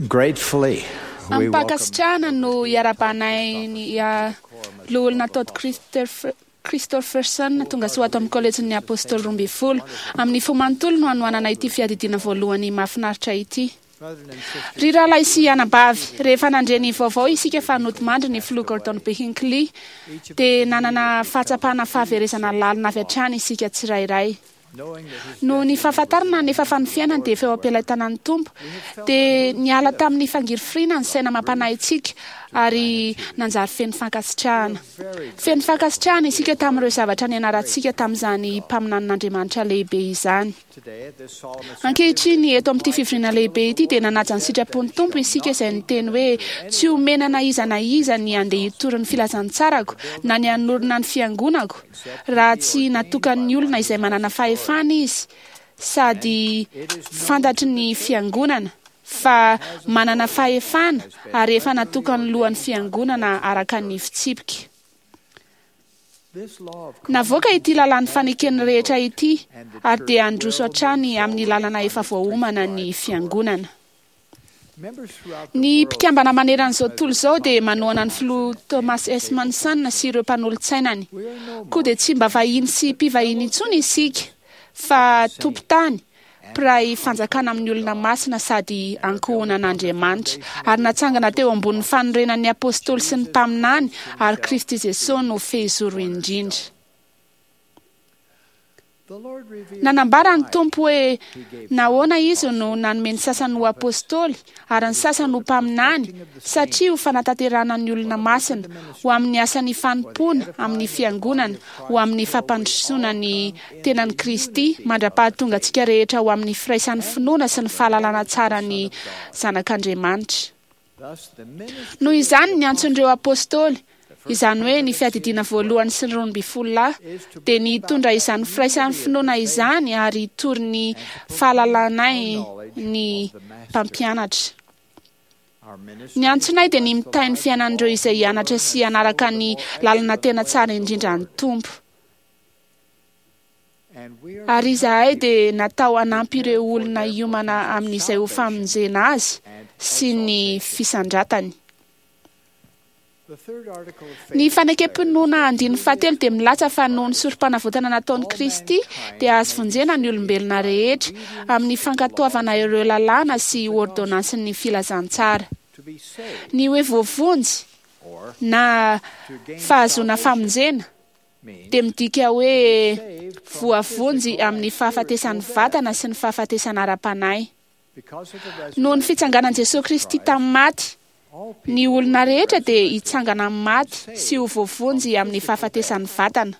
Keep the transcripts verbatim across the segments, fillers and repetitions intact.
Gratefully, we welcome Amim-pankasitrahana no iarahabanay ny ah, loholona Todd Christopher- Christopherson tonga soa ato amin'ny kolejin'ny Apôstôly roa ambin'ny folo. Amin'ny fo manontolo no hanohanana ity fiadidiana voalohany mahafinaritra ity. Ry rahalahy sy anabavy, rehefa nandre ny vaovao isika fa nodimandry ny filoha Gordon B. Hinckley, dia nanana fahatsapana fahaverezana lalina avy hatrany isika tsirairay. Noho ny fahafantarana nefa fa ny fiainany dia efa eo am-pelatanan'ny Tompo, dia niala tamin'ny fangirifiriana ny saina mampanahintsika ary nanjary feno fankasitrahana. Feno fankasitrahana isika tamin'ireo zavatra nianarantsika tamin'izany mpaminanin'Andriamanitra lehibe izany. today at this solemn Ankehitriny eto amin'ity fivoriana lehibe ity dia nanaja ny sitrapon'ny Tompo isika izay niteny hoe tsy omena na iza na iza ny andeha hitory ny filazantsarako na ny hanorina ny fiangonako raha tsy natokan'ny olona izay manana fahefana izy sady fantatry ny fiangonana fa manana fahefana ary efa natokan'ny lohan'ny fiangonana araka ny fitsipika. This law of Navoaka ity lalàn'ny faneken'ny rehetra ity ary dia handroso hatrany amin'ny lalana efa voaomana ny fiangonana. members throughout the Ny world mpikambana maneran'izao tontolo izao dia manohana ny filoha Thomas S. Monson sy ireo mpanolotsainany. Koa dia tsy mba vahiny sy mpivahiny intsony isika fa tompon-tany, mpiray fanjakana amin'ny olona masina sady ankohonan'Andriamanitra ary natsangana teo ambonin'ny fanorenan'ny apôstôly sy ny mpaminany ary Kristy Jesosy no fehizoro indrindra. The Lord revealed Nanambara ny Tompo hoe nahoana izy no nanome ny sasany ho apôstôly ary ny sasany ho mpaminany satria ho fanatanterahana ny olona masina, ho amin'ny asan'ny fanompoana amin'ny fiangonana, ho amin'ny fampandrosoana ny tenan'i Kristy mandra-pahatonga antsika rehetra ho amin'ny firaisan'ny finoana sy ny fahalalana tsara ny zanak'Andriamanitra. thus the ministry Noho izany ny antson'ireo apôstôly, izany hoe ny fiadidiana voalohany sy ny roa ambin'ny folo lahy, dia ny hitondra izany firaisan'ny finoana izany ary hitory ny fahalalanay ny mpampianatra. our ministry Ny antsonay dia ny mitahy ny fiainan'ireo izay hianatra sy hanaraka ny lalana tena tsara indrindra ny Tompo. and we are Ary izahay dia natao hanampy ireo olona hiomana amin'izay ho famonjena azy sy ny fisandratany. the third article of faith Ny fanekem-pinoana andininy fahatelo dia milaza fa noho ny sorom-panavotana nataon'i Kristy dia azo vonjena ny olombelona rehetra amin'ny fankatoavana ireo lalàna sy ordonansin'ny filazantsara. to be saved Ny hoe voavonjy or na to gain fahazoana famonjena means dia midika hoe saved from voavonjy physical amin'ny and fahafatesan'ny spiritual death vatana sy ny fahafatesana ara-panahy. because of the Noho ny resurrection fitsanganan'i Jesosy Kristy tamin'ny maty, all ny people olona will be rehetra dia resurrected. hitsangana amin'ny maty sy ho voavonjy amin'ny fahafatesan'ny vatana.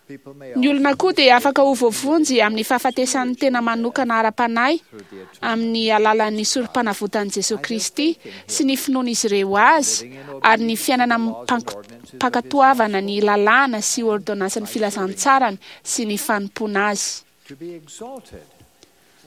People may Ny olona also koa dia afaka ho voavonjy amin'ny fahafatesan'ny tena manokana ara-panahy through the atonement amin'ny alalan'ny sorom-panavotan'i Jesosy Kristy sy ny finoan'izy ireo azy ary ny fiainana amim-pankatoavana ny lalàna sy ordonansin'ny filazantsarany sy ny fanompoana azy. to be exalted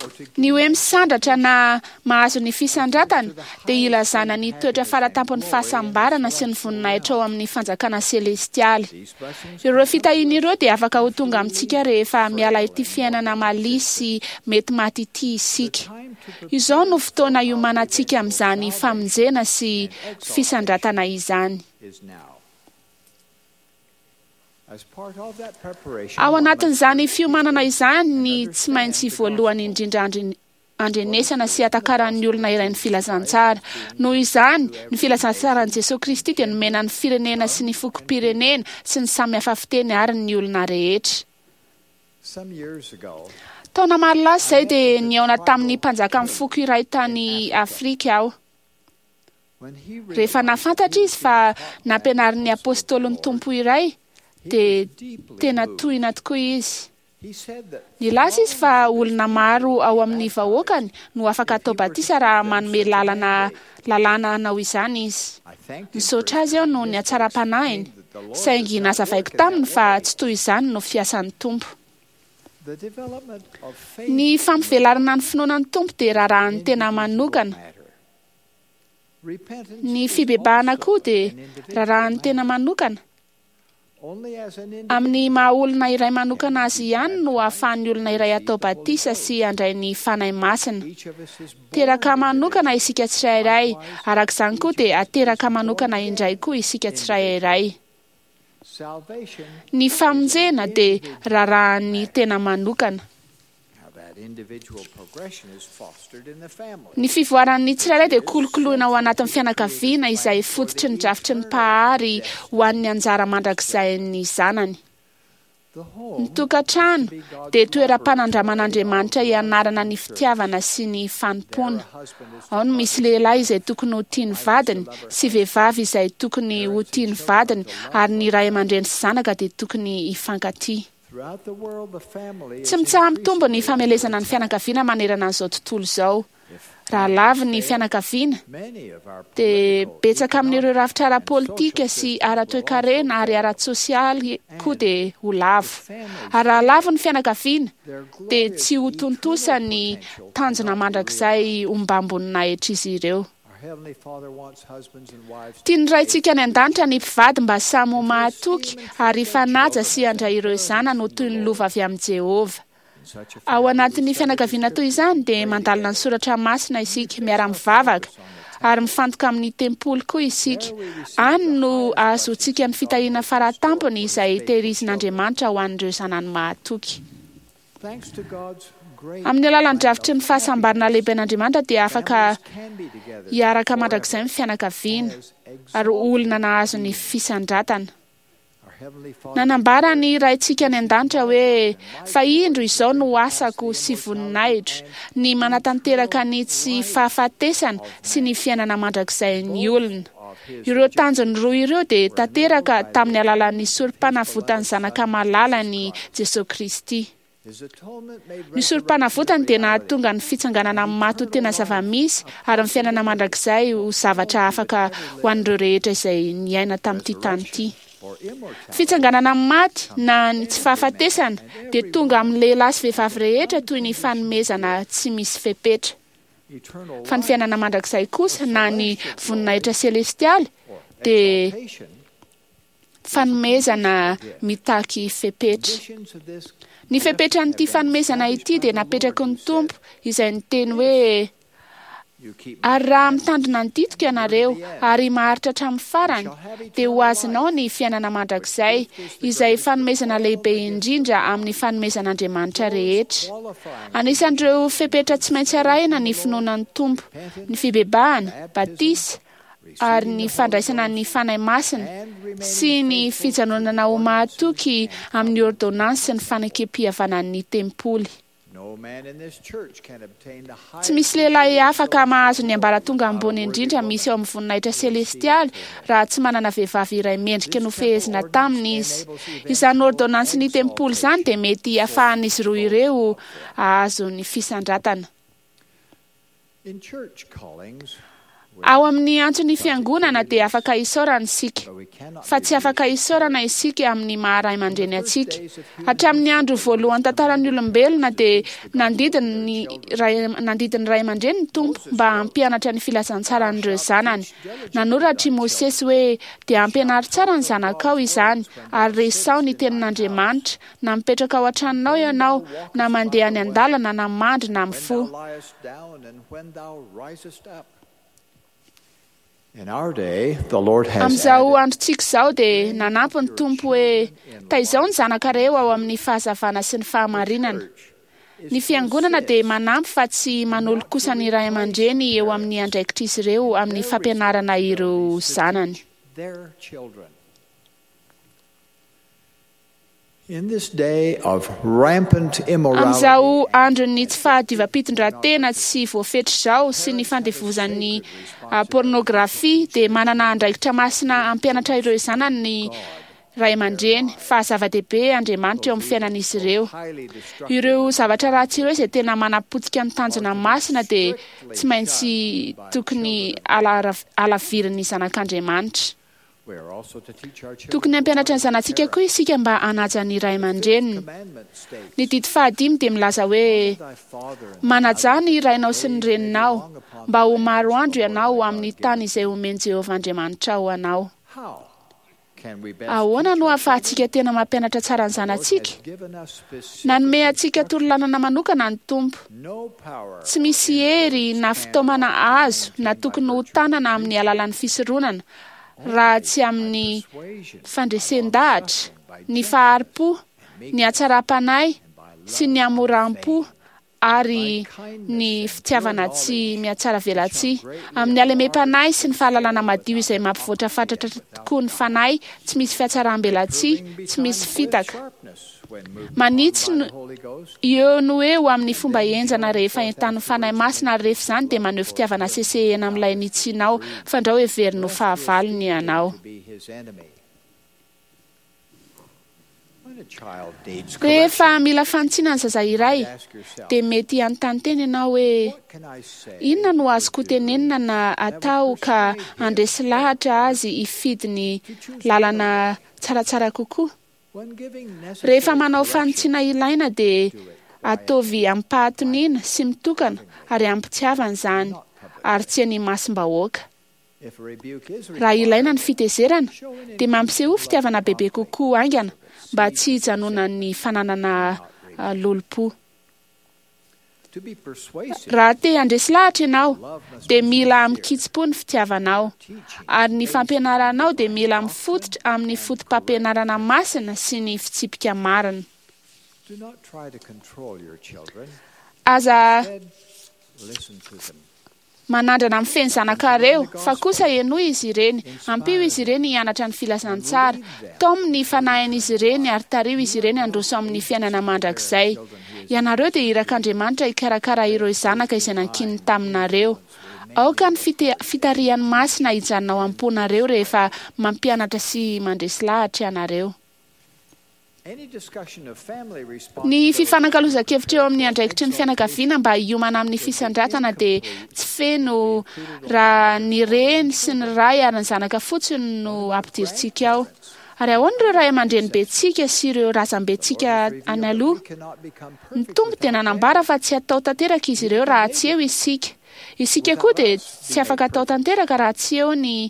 or to Ny hoe misandratra na mahazo ny fisandratana dia ilazana ny toetra faratampon'ny fahasambarana sy ny voninahitra ao amin'ny fanjakana selestialy. these blessings Ireo fitahiana ireo dia afaka ho tonga amintsika rehefa miala ity fiainana malia sy mety maty ity isika. time to prepare Izao no fotoana iomanantsika amin'izany famonjena sy fisandratana izany. is now. As part of that preparation, Ao one must anatin'izany fiomanana izany ny tsy maintsy voalohany indrindra andri- andrenesana sy atakaran'ny olona iray ny filazantsara. Noho izany, ny filazantsaran'i Jesosy Kristy dia nomena ny firenena sy ny fokom-pirenena sy ny samy hafa fiteny ary ny olona rehetra. Some years ago, Taona maro lasa izay dia nihaona tamin'ny mpanjakan'ny foko iray tany Afrika aho. when he Rehefa realized nahafantatra izy fa nampianarin'ny apôstôlin'ny Tompo iray, dia deeply tena moved. tohina tokoa izy. He said that Nilaza izy fa olona maro ao amin'ny vahoakany no afaka atao batisa raha manome lalana lalàna hanao izany izy. I thanked him for Nisaotra his azy aho noho ny kindness and hatsaram-panahiny, explained that the Lord saingy does not nazavaiko work in taminy that fa way. tsy toy izany no fiasan'ny Tompo. The development of faith Ny in the fampivelarana ny finoana ny Tompo dia raharahan'ny tena individual manokana. matter. Repentance Ny is fibebahana also koa dia an individual raharahan'ny tena matter. manokana. Amin'ny maha olona iray manokana azy ihany no ahafahan'ny olona iray atao batisa sy handray ny Fanahy Masina. Teraka manokana isika tsirairay, araka izany koa dia ateraka manokana indray koa isika tsirairay. Ny famonjena dia raharahan'ny tena manokana. Ny fivoaran'ny tsirairay dia kolokoloina ao anatin'ny fianakaviana izay fototry ny drafitry ny Mpahary ho an'ny anjara mandrakizay-ny zanany. Ny tokantrano dia toeram-panandraman'Andriamanitra hianarana ny fitiavana sy ny fanompoana. Ao no misy lehilahy izay tokony ho tia ny vadiny sy vehivavy izay tokony ho tia ny vadiny, ary ny ray aman-dreny sy zanaka dia tokony hifankatia. Tsy mitsaha-mitombo ny famelezana ny fianakaviana manerana an'izao tontolo izao. Raha lavo ny fianakaviana, dia betsaka amin'ireo rafitra ara-politika sy ara-toekarena ary ara-tsosialy koa dia ho lavo. Ary raha lavo ny fianakaviana, dia tsy ho tontosa ny tanjona mandrakizay ombam-boninahitr'izy ireo. Tian'ny Raintsika any an-danitra ny mpivady mba samy ho mahatoky ary hifanaja sy handray ireo zanany ho toy ny lova avy amin'i Jehovah. Ao anatin'ny fianakaviana toy izany dia mandalina ny soratra masina isika, miara-mivavaka ary mifantoka amin'ny tempoly koa isika. Any no ahazoantsika ny fitahiana faratampony izay tehirizin'Andriamanitra ho an'ireo zanany mahatoky. Amin'ny alalan'ny drafitry ny fahasambarana lehiben'Andriamanitra dia afaka hiaraka mandrakizay ny fianakaviana ary olona nahazo ny fisandratana. Nanambara ny Raintsika any an-danitra hoe fa indro izao no asako sy voninahitro, ny manatanteraka ny tsy fahafatesana sy ny fiainana mandrakizay ny olona. Ireo tanjony roa ireo dia tanteraka tamin'ny alalan'ny sorom-panavotan'ny zanaka malalany Jesosy Kristy. Ny sorom-panavotany dia nahatonga ny fitsanganana amin'ny maty ho tena zava-misy ary ny fiainana mandrakizay ho zavatra afaka ho an'ireo rehetra izay niaina tamin'ity tany ity. Fitsanganana amin'ny maty na ny tsy fahafatesana dia tonga amin'ny lehilahy sy vehivavy rehetra toy ny fanomezana tsy misy fepetra. Fa ny fiainana mandrakizay kosa na ny voninahitra selestialy dia fanomezana mitaky fepetra. Ny fepetran'ity fanomezana ity dia napetraky ny Tompo izay niteny hoe ary raha mitandrina ny didiko ianareo ary maharitra hatramin'ny farany dia ho azonao ny fiainana mandrakizay izay fanomezana lehibe indrindra amin'ny fanomezan'Andriamanitra rehetra. Anisan'ireo fepetra tsy maintsy arahina ny finoana ny Tompo, ny fibebahana, batisa ary ny fandraisana ny Fanahy Masina sy ny fijanonana ho mahatoky amin'ny ordonnance sy ny fanekem-pihavanan'ny tempoly. Tsy misy lehilahy afaka mahazo ny ambaratonga ambony indrindra misy ao amin'ny voninahitra selestialy raha tsy manana vehivavy iray mendrika nofehezina taminy izy. Izany ordonnance ny tempoly izany dia mety ahafahan'izy roa ireo hahazo ny fisandratana. Ao amin'ny antson'ny fiangonana dia afaka isaorana isika, fa tsy afaka isaorana isika amin'ny maha ray aman-dreny antsika. Hatramin'ny andro voalohan'ny tantaran'ny olombelona dia nandidy ny ray nandidy ny ray aman-dreny ny Tompo mba hampianatra ny filazantsaran'ireo zanany. Nanoratra i Mosesy hoe dia ampianaro tsara ny zanakao izany ary resaho ny tenin'Andriamanitra na mipetraka ao an-tranonao ianao na mandeha any an-dalana na mandry na mifoha. Amin'izao androntsika izao dia nanampy ny Tompo hoe taizao ny zanakareo ao amin'ny fahazavana sy ny fahamarinana. Ny fiangonana dia manampy fa tsy manolo kosa ny ray aman-dreny eo amin'ny andraikitr'izy ireo amin'ny fampianarana ireo zanany. Amin'izao andron'ny tsy fahadiovam-pitondran-tena tsy voafetra izao sy ny fandevozan'ny pornografia dia manana andraikitra masina hampianatra ireo zanany ny ray aman-dreny fa zava-dehibe Andriamanitra eo amin'ny fiainan'izy ireo. Ireo zavatra ratsy ireo izay tena manapotika ny tanjona masina dia tsy maintsy tokony alavirin'ny zanak'Andriamanitra. Tokony hampianatra ny zanatsika koa isika mba hanaja ny ray aman-dreniny. Ny didy fahadimy dia milaza hoe manaja ny rainao sy ny reninao mba ho maro andro ianao amin'ny tany izay omen'i Jehovah Andriamanitra ho anao. Ahoana no ahafahantsika tena mampianatra tsara ny zanatsika? Nanome antsika torolalana manokana ny Tompo. Tsy misy hery na fitaomana azo na tokony ho tanana amin'ny alalan'ny fisoronana, raha tsy amin'ny fandresen-dahatra, ny fahari-po, ny hatsaram-panahy sy ny hamoram-po ary ny fitiavana tsy mihatsaravelatsihy, amin'ny halemem-panahy sy ny fahalalana madio izay mampivoatra fatratra tokoa ny fanahy, tsy misy fihatsaram-belatsihy, tsy misy fitaka. Manitsy eo no eo amin'ny fomba henjana rehefa entanin'ny Fanahy Masina, ary rehefa izany dia maneho fitiavana sesehena amin'ilay nitsinao, fandrao heveriny ho fahavalony ianao. Rehefa mila fanitsiana ny zaza iray, dia mety hanontany tena ianao hoe, inona no azoko tenenina na atao ka handresy lahatra azy hifidy ny lalana tsaratsara kokoa? Rehefa manao fanitsiana ilaina dia ataovy amim-pahatoniana sy mitokana ary amim-pitiavana izany, ary tsy eny imasom-bahoaka. Raha ilaina ny fitezerana, dia mampiseho fitiavana bebe kokoa haingana mba tsy hijanonan'ny fananana lolompo. Raha te handresy lahatra ianao, dia mila mikitsi-po ny fitiavanao, ary ny fampianaranao dia mila mifototra amin'ny foto-pampianarana masina sy ny fitsipika marina. Aza manandrana amin'ny feny zanakareo, fa kosa henoy izy ireny, ampio izy ireny hianatra ny filazantsara, taomy ny fanahin'izy ireny ary tariho izy ireny handroso amin'ny fiainana mandrakizay. Ianareo dia irak'Andriamanitra hikarakara ireo zanaka izay nankininy taminareo. Aoka ny fitarihan'ny masina hijanona ao am-ponareo rehefa mampianatra sy mandresy lahatra ianareo. Ny fifanakalozan-kevitra eo amin'ny andraikitry ny fianakaviana mba hiomana amin'ny fisandratana dia tsy feno raha ny reny sy ny ray ary ny zanaka fotsiny no ampidirintsika ao. Ary ahoana ireo ray aman-drenibentsika sy ireo razambentsika any aloha? Ny Tompo dia nanambara fa tsy atao tanteraka izy ireo raha tsy eo isika. Isika koa dia tsy afaka atao tanteraka raha tsy eo ny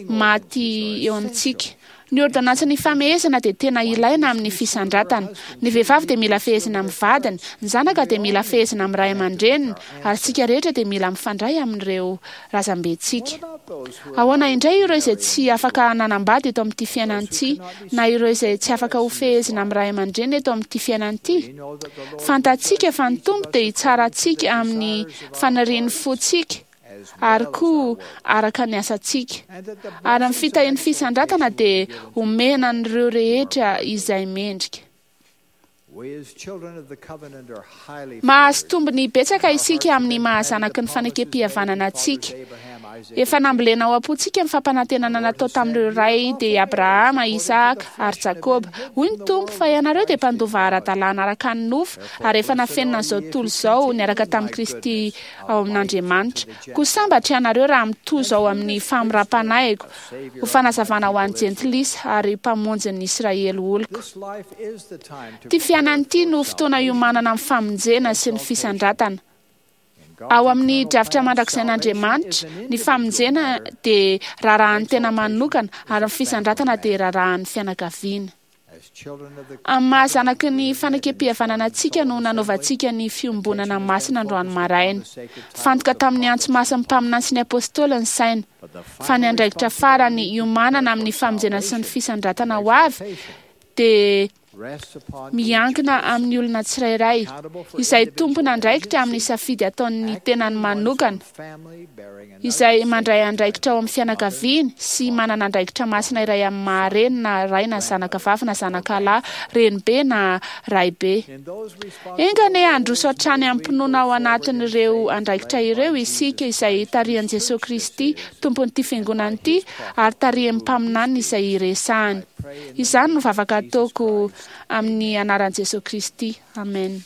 maty eo amintsika. Ny ordonansin'ny famehezana dia tena ilaina amin'ny fisandratana. Ny vehivavy dia mila fehezina amin'ny vadiny, ny zanaka dia mila fehezina amin'ny ray aman-dreniny, ary isika rehetra dia mila mifandray amin'ireo razambentsika. Ahoana indray ireo izay tsy afaka nanambady eto amin'ity fiainana ity, na ireo izay tsy afaka ho fehezina amin'ny ray aman-dreny eto amin'ity fiainana ity? Fantatsika fa ny Tompo dia hitsara antsika amin'ny fanirian'ny fontsika, ary koa araka ny asantsika. Ary amin'ny fitahian'ny fisandratana dia omena an'ireo rehetra izay mendrika. Mahazo tombony betsaka isika amin'ny mahazanaky ny fanekem-pihavanana antsika. Efa nambolena ao am-pontsika ny fampanantenana natao tamin'ireo ray dia Abrahama, Isaka ary Jakoba. Hoy ny Tompo fa ianareo dia mpandova ara-dalàna araka ny nofo ary efa nafenina an'izao tontolo izao niaraka tamin'i Kristy ao amin'Andriamanitra. Koa sambatra ianareo raha mitozo ao amin'ny famoram-panahiko ho fanazavana ho an'ny jentilisa ary mpamonjin'ny Israely oloko. Ty fiainana ity no fotoana iomanana amin'ny famonjena sy ny fisandratana. Ao amin'ny drafitra mandrakizain'Andriamanitra, ny famonjena dia raharahan'ny tena manokana ary ny fisandratana dia raharahan'ny fianakaviana. Amin'ny mahazanaky ny fanekem-pihavanana antsika no nanaovantsika ny fiombonana masina androany maraina. Fantoka tamin'ny antso masin'ny mpaminany sy ny apôstôly ny saina, fa ny andraikitra farany iomanana amin'ny famonjena sy ny fisandratana ho avy dia miankina amin'ny olona tsirairay izay tompon'andraikitra amin'ny safidy ataon'ny tenany manokana, izay mandray andraikitra ao amin'ny fianakaviany sy manana andraikitra masina iray amin'ny maha-reny na ray na zanaka vavy na zanaka lahy, renibe na raibe. Enga anie handroso hatrany am-pinoana ao anatin'ireo andraikitra ireo isika izay tarihan'i Jesoa Kristy, tompon'ity fiangonana ity, ary tarihan'ny mpaminany izay iresahany. Izany no vavaka ataoko amin'ny anaran'i Jesoa Kristy. Amen.